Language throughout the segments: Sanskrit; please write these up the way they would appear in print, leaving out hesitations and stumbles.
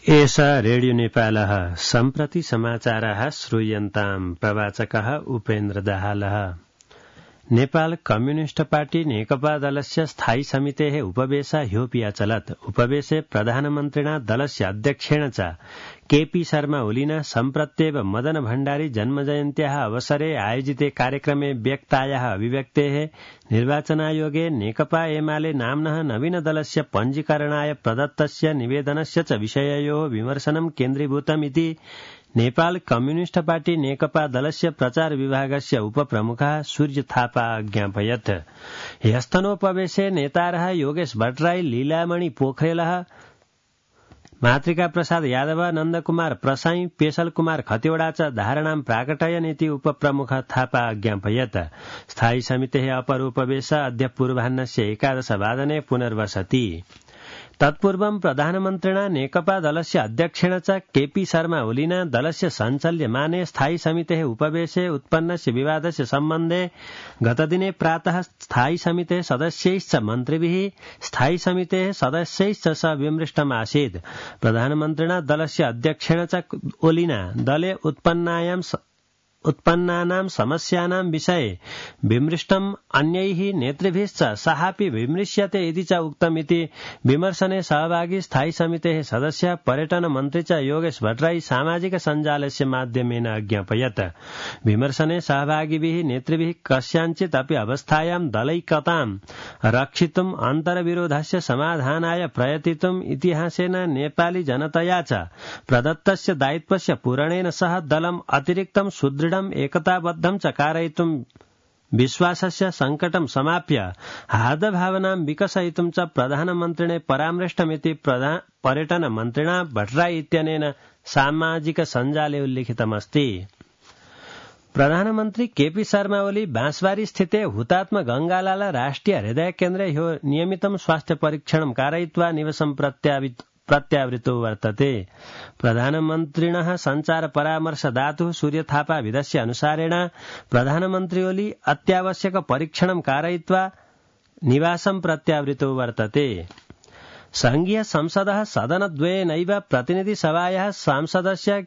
एषा रेडियो नेपालः सम्प्रति समाचाराः श्रूयन्ताम् प्रवाचकः उपेन्द्र दाहालः। नेपाल कम्युनिस्ट पार्टी नेकपा दलस्य स्थायी समितेः उपवेशः ह्योपि अचलत्। उपवेशे प्रधानमन्त्रिणा दलस्य अध्यक्षेण च केपी शर्मा ओलिना सम्प्रत्येव मदन भण्डारी जन्मजयन्त्याः अवसरे आयोजिते कार्यक्रमे व्यक्तायाः अभिव्यक्तेः निर्वाचनायोगे नेकपा एमाले नाम्नः नवीनदलस्य पञ्जीकरणाय प्रदत्तस्य निवेदनस्य च विषययोः विमर्शनं केन्द्रीभूतमिति नेपाल कम्युनिस्ट पार्टी नेकपा दलस्य प्रचार विभागस्य उपप्रमुखः सूर्य थापा ज्ञापयत्। ह्यस्तनोपवेशे नेतारः योगेश भट्टराई, लीलामणि पोखरेलः, मातृका प्रसाद यादव, नन्दकुमार प्रसाई, पेशल कुमार खतिवड़ा च धारणां प्राकटयन् इति उपप्रमुख थापा ज्ञापयत्। स्थायी समितेः अपर उपवेश अद्य पूर्वाह्नस्य 11 वादने पुनर्वसति। तत्पूर्वं प्रधानमन्त्रिणा नेकपा दलस्य अध्यक्षेण च केपी शर्मा ओलिना दलस्य सञ्चाल्यमाने स्थायी समितेः उपवेशे उत्पन्नस्य विवादस्य सम्बन्धे गतदिने प्रातः स्थायी समितेः सदस्यैश्च मन्त्रिभिः स्थायी समितेः सदस्यैश्च स विमृष्टमासीत्। प्रधानमन्त्रिणा दलस्य अध्यक्षेण च ओलिना दले उत्पन्नानां समस्यानां विषये विमृष्टम् अन्यैः नेतृभिश्च सहापि विमृश्यते इति च उक्तमिति विमर्शने सहभागी स्थायी समितेः सदस्य पर्यटन मन्त्री च योगेश भट्टराई सामाजिक सञ्जालस्य माध्यमेन अज्ञापयत्। विमर्शने सहभागिभिः नेतृभिः कस्याञ्चित् अपि अवस्थायां दलैकतां रक्षितुम् अन्तर्विरोधस्य समाधानाय प्रयतितुम् इतिहासेन नेपाली जनतया च प्रदत्तस्य दायित्वस्य पूरणेन सह दलम् अतिरिक्तं सुदृढ एकताबद्धं च कारयितुं विश्वासस्य संकटं समाप्य हार्दभावनां विकसयितुं च प्रधानमन्त्रिणे परामृष्टमिति पर्यटन मन्त्रिणा भट्टराई इत्यनेन सामाजिक सञ्जाले उल्लिखितमस्ति। प्रधानमन्त्री केपी शर्मा ओली बाँसबारी स्थिते हुतात्मा गंगालाल राष्ट्रिय हृदय केन्द्रे ह्यो नियमितं स्वास्थ्य परीक्षणं कारयित्वा निवसं प्रत्यावृतो वर्तते। प्रधानमन्त्रिणः सञ्चार परामर्शदातुः सूर्य थापा विदस्य अनुसारेण प्रधानमन्त्री ओली अत्यावश्यक परीक्षणं कारयित्वा निवासं प्रत्यावृतो वर्तते। संघीय संसदः सदनद्वयेनैव प्रतिनिधिसभायाः सांसदस्य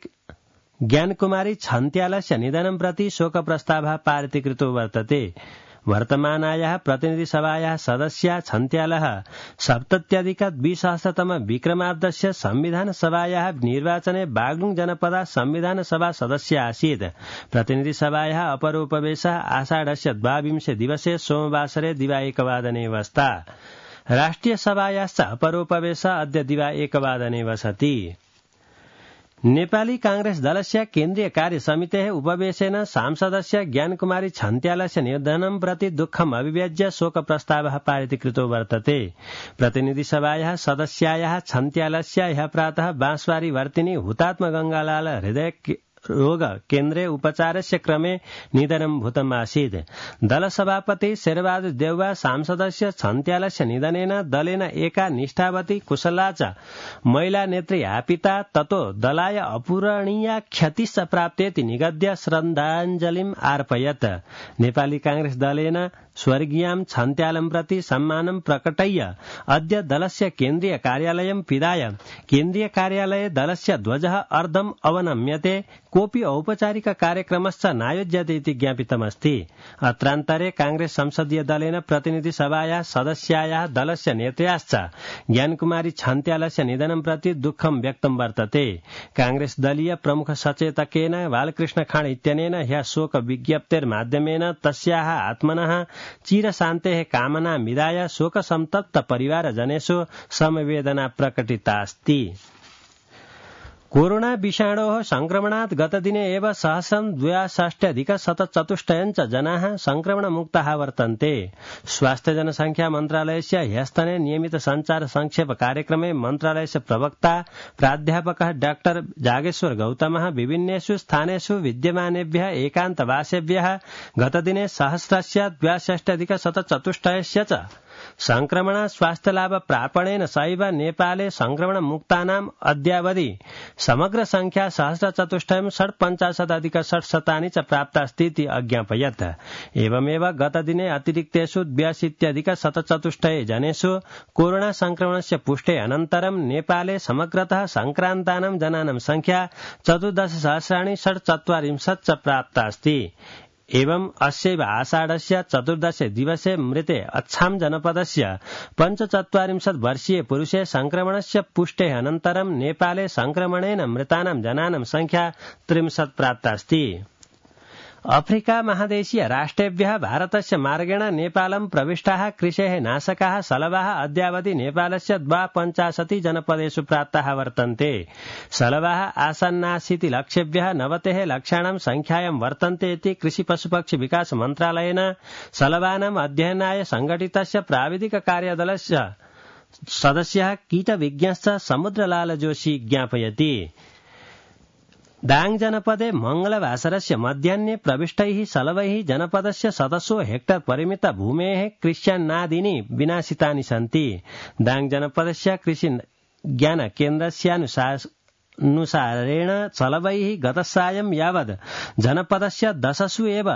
ज्ञानकुमारी छन्त्यालस्य निधनं प्रति शोकप्रस्तावः पारितीकृतो वर्तते। वर्तमानायाः प्रतिनिधिसभायाः सदस्या छन्त्यालः 70+2000 विक्रमाब्दस्य संविधानसभायाः निर्वाचने बागलुङ जनपदा संविधानसभा सदस्य आसीत्। प्रतिनिधिसभायाः अपरोपवेशः आषाढस्य 22 दिवसे सोमवासरे दिवा 1 वादने वस्ता। राष्ट्रियसभायाश्च अपरोपवेशः अद्य दिवा 1 वादने वसति। नेपाली कांग्रेस दलस्य केन्द्रीय कार्य समितेः उपवेशेन सांसदस्य ज्ञानकुमारी छन्त्यालस्य निधनं प्रति दुःखम् अभिव्यज्य शोकप्रस्तावः पारितीकृतो वर्तते। प्रतिनिधिसभायाः सदस्यायाः छन्त्यालस्य ह्यः प्रातः बाँसबारी वर्तिनी हुतात्मा गंगालाल हृदय रोग केन्द्रे उपचारस्य क्रमे निधनं भूतमासीत्। दलसभापति शेरबहादुर देउवा सांसदस्य छन्त्यालस्य निधनेन दलेन एका निष्ठावती कुशला च महिला नेत्री आपिता ततो दलाय अपूरणीया क्षतिश्च प्राप्तेति निगद्य श्रद्धाञ्जलिम् अर्पयत्। नेपाली कांग्रेस दलेन स्वर्गीयां छन्त्यालं प्रति सम्मानं प्रकटय्य अद्य दलस्य केन्द्रीय कार्यालयं पिधाय केन्द्रीय कार्यालये दलस्य ध्वजः अर्धम् अवनम्यते, कोऽपि औपचारिक कार्यक्रमश्च नायोज्यते इति ज्ञापितमस्ति। अत्रान्तरे कांग्रेस संसदीय दलेन प्रतिनिधिसभायाः सदस्यायाः दलस्य नेत्र्याश्च ज्ञानकुमारी छन्त्यालस्य निधनं प्रति दुःखं व्यक्तं वर्तते। कांग्रेस दलीय प्रमुख सचेतकेन बालकृष्ण खाँड इत्यनेन ह्यः शोक विज्ञप्तेर्माध्यमेन तस्याः आत्मनः चिरशान्तेः कामना विधाय शोकसन्तप्त परिवारजनेषु समवेदना प्रकटितास्ति। कोरोना विषाणोः संक्रमणात् गतदिने एव 162,174 जनाः संक्रमणमुक्ताः वर्तन्ते। स्वास्थ्य जनसंख्या मन्त्रालयस्य ह्यस्तने नियमित संचार संक्षेप कार्यक्रमे मन्त्रालयस्य प्रवक्ता प्राध्यापकः डाक्टर जागेश्वर गौतमः विभिन्नेषु स्थानेषु विद्यमानेभ्यः एकान्तवासेभ्यः गतदिने 1,62,174 च संक्रमण स्वास्थ्यलाभ प्रापणेन सैव नेपाले संक्रमणमुक्तानाम् अद्यावधि समग्र संख्या 1,450,650 च प्राप्तास्तीति अज्ञापयत्। एवमेव गतदिने अतिरिक्तेषु 82,104 जनेषु कोरोना संक्रमणस्य पुष्टे अनन्तरं नेपाले समग्रतः संक्रान्तानां जनानां संख्या 14,640 च प्राप्तास्ति। एवं अस्यैव आषाढस्य 14 दिवसे मृते अच्छाम जनपदस्य 45 वर्षीय पुरुषे संक्रमणस्य पुष्टेः अनन्तरं नेपाले संक्रमणेन मृतानां जनानां संख्या 30 प्राप्तास्ति। अफ्रिका महादेशीय राष्ट्रेभ्यः भारतस्य मार्गेण नेपालं प्रविष्टाः कृषेः नाशकाः सलवाः अद्यावधि नेपालस्य 52 जनपदेषु प्राप्ताः वर्तन्ते। सलवाः आसन्नासीति लक्ष्येभ्यः 90 लक्षाणां संख्यायां वर्तन्ते इति कृषि पशुपक्षि विकास मन्त्रालयेन सलवानाम् अध्ययनाय संघटितस्य प्राविधिक कार्यदलस्य सदस्यः कीटविज्ञश्च समुद्रलाल जोशी ज्ञापयति। दाङ जनपदे मंगलवासरस्य मध्याह्ने प्रविष्टैः सलवैः जनपदस्य 100 हेक्टर परिमित भूमेः कृष्यान्नादीनि विनाशितानि सन्ति। दाङ जनपदस्य कृषि ज्ञान केन्द्रस्यानुसारेण सलवैः गतसायं यावत् जनपदस्य 10 एव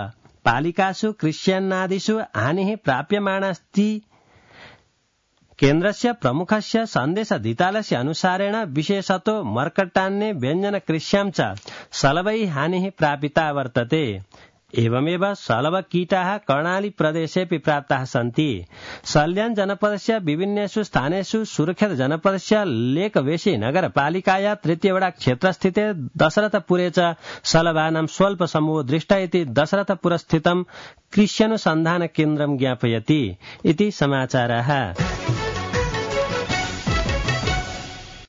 पालिकासु कृष्यान्नादिषु हानिः प्राप्यमाणास्ति। केन्द्रस्य प्रमुखस्य सन्देशदितालस्य अनुसारेण विशेषतो मर्कटान्ने व्यञ्जनकृष्यां च सलवैः हानिः प्रापिता वर्तते। एवमेव सलवकीटाः कर्णाली प्रदेशेऽपि प्राप्ताः सन्ति। सल्यान जनपदस्य विभिन्नेषु स्थानेषु सुरक्षित जनपदस्य लेकवेशी नगरपालिकाया तृतीयवडा क्षेत्रस्थिते दशरथपुरे च सलवानां स्वल्प समूहो दृष्ट इति दशरथपुरस्थितं कृष्यनुसन्धान केन्द्रं ज्ञापयति। इति समाचारः।